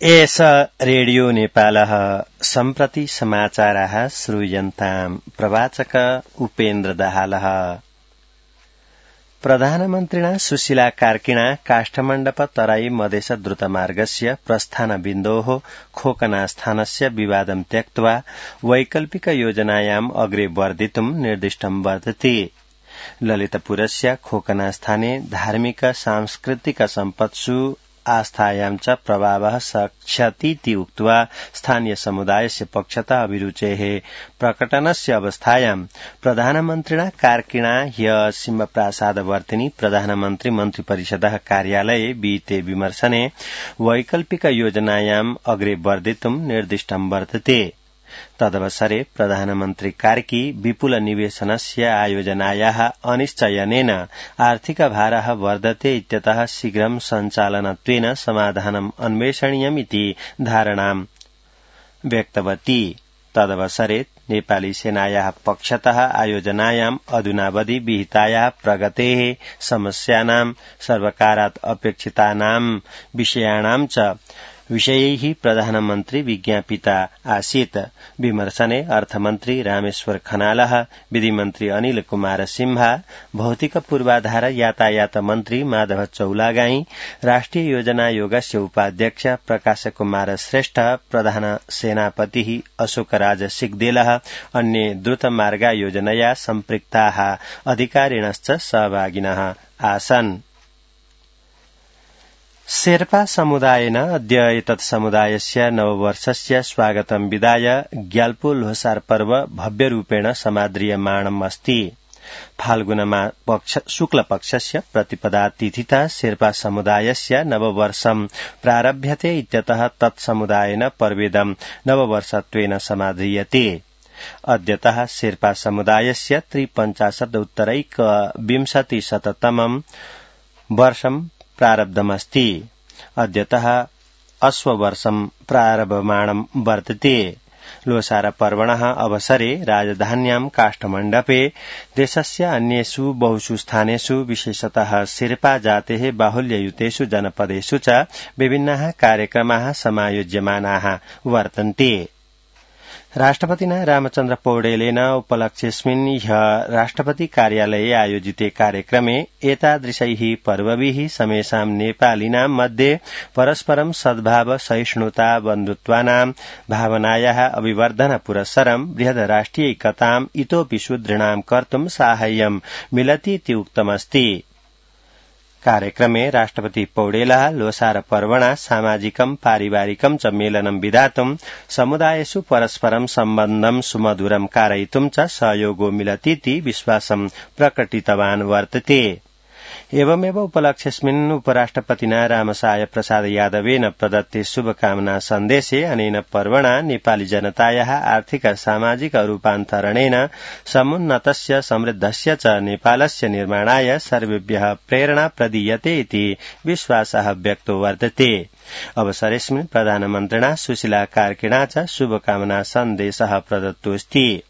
एष रेडियो नेपालः सम्प्रति समाचाराः श्रूयन्ताम् प्रवाचक उपेन्द्र दाहालः। प्रधानमन्त्रिणा सुशीला कार्किणा काष्ठमण्डप तराई मधेश द्रुतमार्गस्य प्रस्थानबिन्दोः खोकनास्थानस्य विवादं त्यक्त्वा वैकल्पिक योजनायाम् अग्रे वर्धितुं निर्दिष्टं वर्तते। ललितपुरस्य खोकनास्थाने धार्मिक सांस्कृतिक सम्पत्सु आस्थायां च प्रभावः सक्ष्यतीति उक्त्वा स्थानीय समुदायस्य पक्षतः अभिरुचेः प्रकटनस्य अवस्थायां प्रधानमन्त्रिणा कार्किणा ह्यः सिंहप्रासादवर्तिनि प्रधानमन्त्री मन्त्रिपरिषदः कार्यालये विहिते विमर्शने वैकल्पिक योजनायाम् अग्रे वर्धितुं निर्दिष्टं वर्तते। तदवसरे प्रधानमन्त्री कार्की विपुल निवेशनस्य आयोजनायाः अनिश्चयनेन आर्थिक भारः वर्धते इत्यतः शीघ्रं सञ्चालनत्वेन समाधानम् अन्वेषणीयमिति धारणां व्यक्तवती। तदवसरे नेपाली सेनायाः पक्षतः आयोजनायाम् अधुनावधि विहितायाः प्रगतेः समस्यानां सर्वकारात् अपेक्षितानां विषयाणां च विषयैः प्रधानमन्त्री विज्ञापिता आसीत्। विमर्शने अर्थमन्त्री रामेश्वर खनालः, विधिमन्त्री अनिल कुमार सिंहा, भौतिक पूर्वाधार यातायात मन्त्री माधव चौलागाई, राष्ट्रिय योजना आयोगस्य उपाध्यक्ष प्रकाश कुमार श्रेष्ठ, प्रधान सेनापतिः अशोकराज सिग्देलः, अन्ये द्रुतमार्गा योजनया सम्पृक्ताः अधिकारिणश्च सहभागिनः आसन्। शेर्पा समुदायेन अद्य एतत् समुदायस्य नववर्षस्य स्वागतं विधाय ग्याल्पो ल्होसार पर्व भव्यरूपेण समाद्रियमाणम् अस्ति। फाल्गुनमा शुक्लपक्षस्य प्रतिपदा तिथितः शेर्पा समुदायस्य नववर्षं प्रारभ्यते इत्यतः तत्समुदायेन पर्वेदं नववर्षत्वेन समाद्रियते। अद्यतः शेर्पा समुदायस्य 53-उत्तरैकविंशतिशततमं वर्षं प्रारब्धमस्ति। अद्यतः अश्ववर्षं प्रारभमाणं वर्तते। लोसार पर्वणः अवसरे राजधान्यां काष्ठमण्डपे देशस्य अन्येषु बहुषु स्थानेषु विशेषतः शेर्पा जातेः बाहुल्ययुतेषु जनपदेषु च विभिन्नाः कार्यक्रमाः समायोज्यमानाः वर्तन्ते। राष्ट्रपतिना रामचन्द्र पौडेलेन उपलक्ष्येऽस्मिन् ह्यः राष्ट्रपति कार्यालये आयोजिते कार्यक्रमे एतादृशैः पर्वभिः समेषां नेपालिनां मध्ये परस्परं सद्भाव सहिष्णुता बन्धुत्वानां भावनायाः अभिवर्धन पुरस्सरं बृहद् राष्ट्रियैकताम् इतोऽपि सुदृढां कर्तुं साहाय्यं मिलतीति उक्तमस्ति। कार्यक्रमे राष्ट्रपति पौडेलः लोसार पर्वणा सामाजिकं पारिवारिकं च मेलनं विधातुं समुदायेषु परस्परं सम्बन्धं सुमधुरं कारयितुं च सहयोगो मिलतीति विश्वासं प्रकटितवान् वर्तते। एवमेव उपलक्ष्येऽस्मिन् उपराष्ट्रपतिना रामसाय प्रसाद यादवेन प्रदत्ते शुभकामना सन्देशे अनेन पर्वणा नेपाली जनतायाः आर्थिक सामाजिक रूपान्तरणेन समुन्नतस्य समृद्धस्य च नेपालस्य निर्माणाय सर्वेभ्यः प्रेरणा प्रदीयते इति विश्वासः व्यक्तो वर्तते। अवसरेऽस्मिन् प्रधानमन्त्रिणा सुशीला कार्किणा च शुभकामना सन्देशः प्रदत्तोऽस्ति।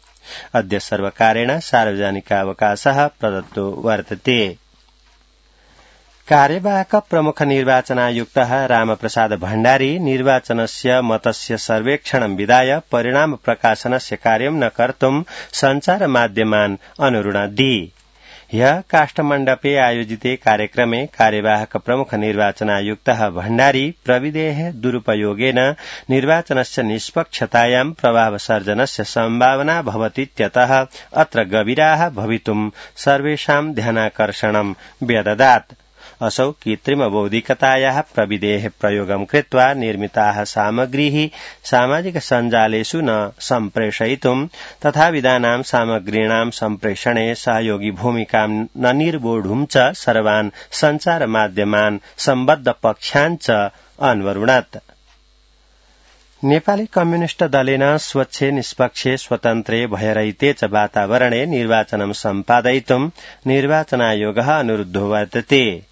अद्य सर्वकारेण सार्वजनिकावकाशः प्रदत्तो वर्तते। कार्यवाहक प्रमुख निर्वाचनायुक्तः रामप्रसाद भण्डारी निर्वाचनस्य मतस्य सर्वेक्षणं विधाय परिणाम प्रकाशनस्य कार्यं न कर्तुं सञ्चारमाध्यमान् अनुरुणद्धि। ह्यः काष्ठमण्डपे आयोजिते कार्यक्रमे कार्यवाहक प्रमुख निर्वाचनायुक्तः भण्डारी प्रविधेः दुरुपयोगेन निर्वाचनस्य निष्पक्षतायां प्रभावसर्जनस्य सम्भावना भवतीत्यतः अत्र गभीराः भवितुं सर्वेषां ध्यानाकर्षणं व्यददात्। असौ कृत्रिमबौद्धिकतायाः प्रविधेः प्रयोगं कृत्वा निर्मिताः सामग्रीः सामाजिक सञ्जालेषु न सम्प्रेषयितुं तथाविधानां सामग्रीणां सम्प्रेषणे सहयोगी भूमिकां न निर्वोढुं च सर्वान् सञ्चारमाध्यमान् सम्बद्ध पक्षान् च अन्वरुणत्। नेपाली कम्युनिष्ट दलेन स्वच्छे निष्पक्षे स्वतन्त्रे भयरहिते च वातावरणे निर्वाचनं सम्पादयितुं निर्वाचनायोगः अनुरुद्धो वर्तते।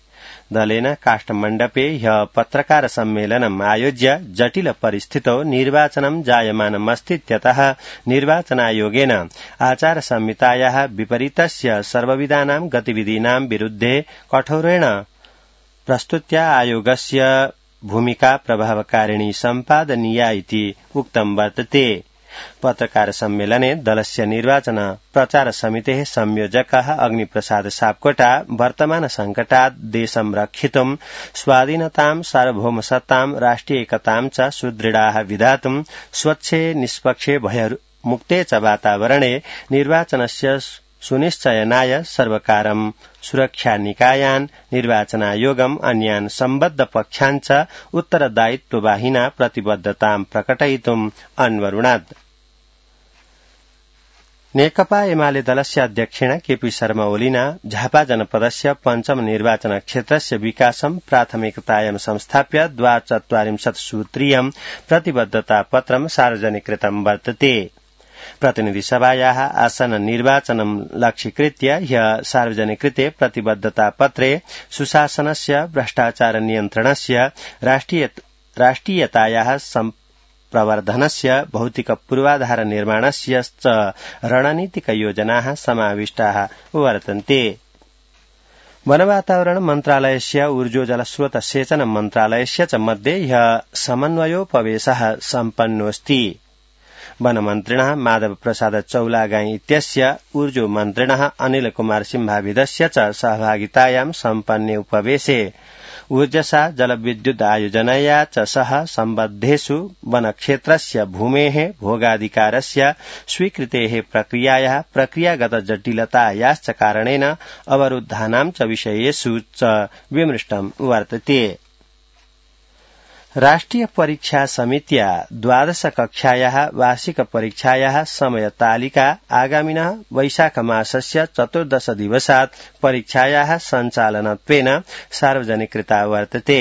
दलेन काष्ठमण्डपे ह्यः पत्रकार सम्मेलनम् आयोज्य जटिल परिस्थितौ निर्वाचनं जायमानमस्तीत्यतः निर्वाचनायोगेन आचार संहितायाः विपरीतस्य सर्वविधानां गतिविधीनां विरुद्धे कठोरेण प्रस्तुत्या आयोगस्य भूमिका प्रभावकारिणी सम्पादनीया इति उक्तं वर्तते। पत्रकार सम्मेलने दलस्य निर्वाचन प्रचार समितेः संयोजकः अग्निप्रसाद सापकोटा वर्तमान संकटात् देशं रक्षितुं स्वाधीनतां सार्वभौमसत्तां राष्ट्रिय एकतां च सुदृढाः विधातुं स्वच्छे निष्पक्षे भयमुक्ते च वातावरणे निर्वाचनस्य सुनिश्चयनाय सर्वकारं सुरक्षानिकायान् निर्वाचनायोगम् अन्यान् सम्बद्ध पक्षान् च उत्तरदायित्ववाहिना प्रतिबद्धतां प्रकटयितुम् अन्वरुणात्। नेकपा एमाले दलस्य अध्यक्षेण केपी शर्मा ओलीना झापा जनपदस्य पञ्चम निर्वाचन क्षेत्रस्य विकासं प्राथमिकतायां संस्थाप्य ४२ सूत्रीयं प्रतिबद्धता पत्रं सार्वजनिकृतं वर्तते। प्रतिनिधि सभायाः आसन निर्वाचनं लक्ष्यीकृत्य ह्यः सार्वजनिकृते प्रतिबद्धता पत्रे सुशासनस्य भ्रष्टाचार नियन्त्रणस्य राष्ट्रियतायाः प्रवर्धनस्य भौतिक पूर्वाधार निर्माणस्य च रणनीतिक योजनाः समाविष्टाः वर्तन्ते। वनवातावरण मन्त्रालयस्य ऊर्जो जलस्रोत सेचन मन्त्रालयस्य च मध्ये ह्यः समन्वयोपवेशः सम्पन्नोऽस्ति। वनमन्त्रिणः माधव प्रसाद चौलागाई इत्यस्य ऊर्जो मन्त्रिणः अनिल कुमार सिंहाविदस्य च सहभागितायां सम्पन्ने उपवेशे ऊर्जसा जलविद्युत आयोजनया च सह सम्बद्धेषु वनक्षेत्रस्य भूमेः भोगाधिकारस्य स्वीकृतेः प्रक्रियायाः प्रक्रियागत जटिलतायाश्च कारणेन अवरुद्धानां च विषयेषु च विमृष्टं वर्तते। राष्ट्रिय परीक्षा समित्या 12 कक्षायाः वार्षिक परीक्षायाः समयतालिका आगामिनः वैशाख मासस्य 14 दिवसात् परीक्षायाः सञ्चालनत्वेन सार्वजनिकृता वर्तते।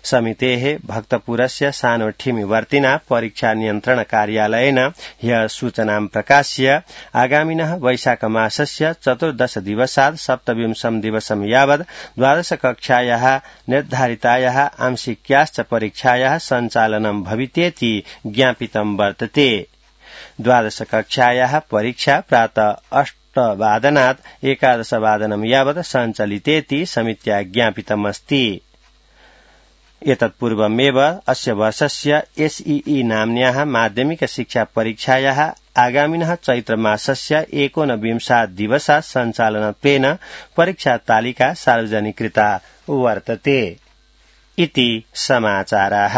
समितेः भक्तपुरस्य सानोठिमिवर्तिना परीक्षा नियन्त्रण कार्यालयेन ह्यः सूचनां प्रकाश्य आगामिनः वैशाख मासस्य 14 दिवसात् 27 दिवसं यावत् 12 कक्षायाः निर्धारितायाः आंशिक्याश्च परीक्षायाः सञ्चालनं भवितेति ज्ञापितं वर्तते। 12 कक्षायाः परीक्षा प्रातः 8 वादनात् 11 वादनं यावत् सञ्चलितेति समित्या ज्ञापितमस्ति। एतत्पूर्वमेव अस्य वर्षस्य एसईई नाम्न्याः माध्यमिक शिक्षा परीक्षायाः आगामिनः चैत्रमासस्य 19 दिवसात् सञ्चालनत्वेन परीक्षा तालिका सार्वजनिकृता वर्तते। इति समाचाराः।